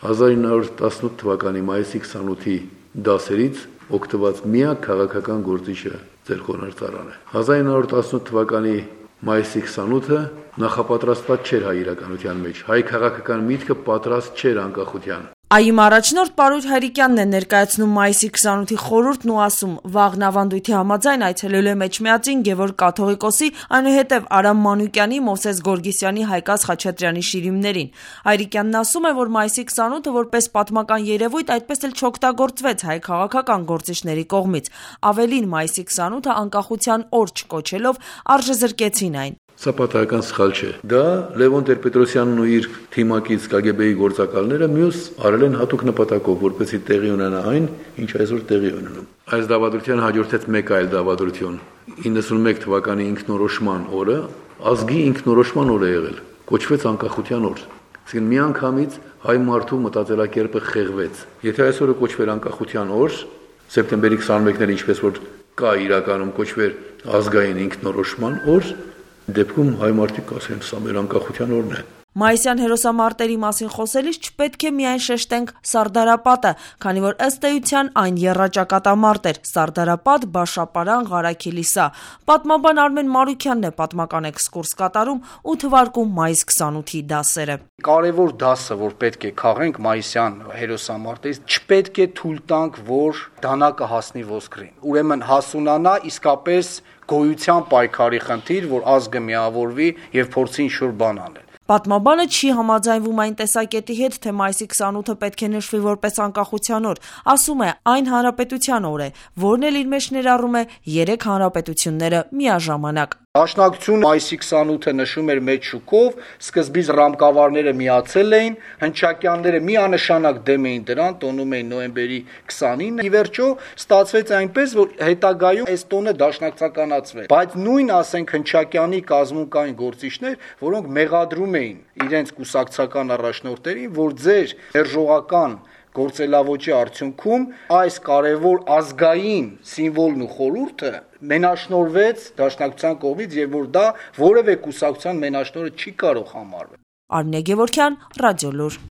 1918 թվականի մայիսի 28-ի դասերից օգտված միակ քաղաքական գործիչը ձեր խորհրդարանը է։ 1918 թվականի մայիսի 28-ը նախապատրաստված չէր հայ իրականության մեջ, հայ քաղաքական միտքը պատրաստ չէր անկախության։ ԱԻ-ի առաջնորդ Պարույր Հայրիկյանն է ներկայացնում մայիսի 28-ի խորհուրդն ու ասում, վաղն ավանդույթի համաձայն այցելելու է Մեջմիածին Գևորգ կաթողիկոսի, այնուհետև Արամ Մանուկյանի, Մովսես Գորգիսյանի, Հայկազ Խաչատրյանի շիրիմներին։ Հայրիկյանն ասում է, որ մայիսի 28-ը որպես պատմական երևույթ այդպես էլ չօգտագործվեց հայ քաղաքական գործիչների կողմից։ Ավելին, մայիսի 28-ը անկախության օր չկոչելով արժեզրկեցին այն։ Սա պատահական սխալ չէ։ Դա Լևոն Տեր-Պետրոսյանն ու իր թիմակից ԿԳԲ-ի գործակալները մյուս արել են հատուկ նպատակով, որպեսզի տեղի ունենա այն, ինչ այսօր տեղի ունենում։ Այս դավադրության հաջորդեց մեկ այլ դավադրություն։ 91 թվականի ինքնորոշման օրը ազգի ինքնորոշման օր է եղել, կոչվեց անկախության օր։ Այսինքն միանգամից հայ մարդու մտածելակերպը խեղվեց։ Եթե այսօրը կոչվեր անկախության օր, սեպտեմբերի 21-ին ինչպես որ կա իրականում կոչվեր ազգային ինքնորոշման օր, դեպքում հայ մարդիկ ասեն, սա մեր անկախության օրն է։ Մայիսյան հերոսամարտերի մասին խոսելիս չպետք է միայն շեշտենք Սարդարապատը, քանի որ ըստ էության այն եռաճակատամարտ էր՝ Սարդարապատ, Բաշապարան, Ղարաքիլիսա։ Պատմաբան Արմեն Մարուքյանն է պատմական էքսկուրս կատարում ու թվարկում մայիս 28-ի դասերը։ Կարևոր դասը, որ պետք է քաղենք մայիսյան հերոսամարտերից, չպետք է թույլ տանք, որ դանակը հասնի ոսկրին։ Ուրեմն հասունանա իսկապես գոյության պայքարի խնդիր, որ ազգը միավորվի եւ փորձի ինչ-որ բան անել։ Պատմաբանը չի համաձայնվում այն տեսակետի հետ, թե մայիսի 28-ը պետք է նշվի որպես անկախության օր։ Ասում է, այն հանրապետության օր է, որն էլ իր մեջ ներառում է 3 հանրապետությունները միաժամանակ։ Դաշնակցությունը մայիսի 28-ը նշում էր մեծ շուկով, սկզբից ռամկավարները միացել էին, հնչակյանները միանշանակ դեմ էին դրան, տոնում էին նոյեմբերի 29-ը։ Ի վերջո ստացվեց այնպես, որ հետագայում այս տոնը դաշնակցականացվեց։ Բայց նույն, ասենք, հնչակյանի կազմում կային գործիչներ, որոնք մեղադրում էին իրենց կուսակցական առաջնորդներին, որ ձեր մերժողական գործելավոճի արդյունքում այս կարևոր ազգային սիմվոլն ու խորհուրդը մենաշնորհվեց դաշնակցության կողմից եւ որ դա որևէ կուսակցության մենաշնորհը չի կարող համարվել։ Արմինե Գևորգյան, Ռադիոլուր։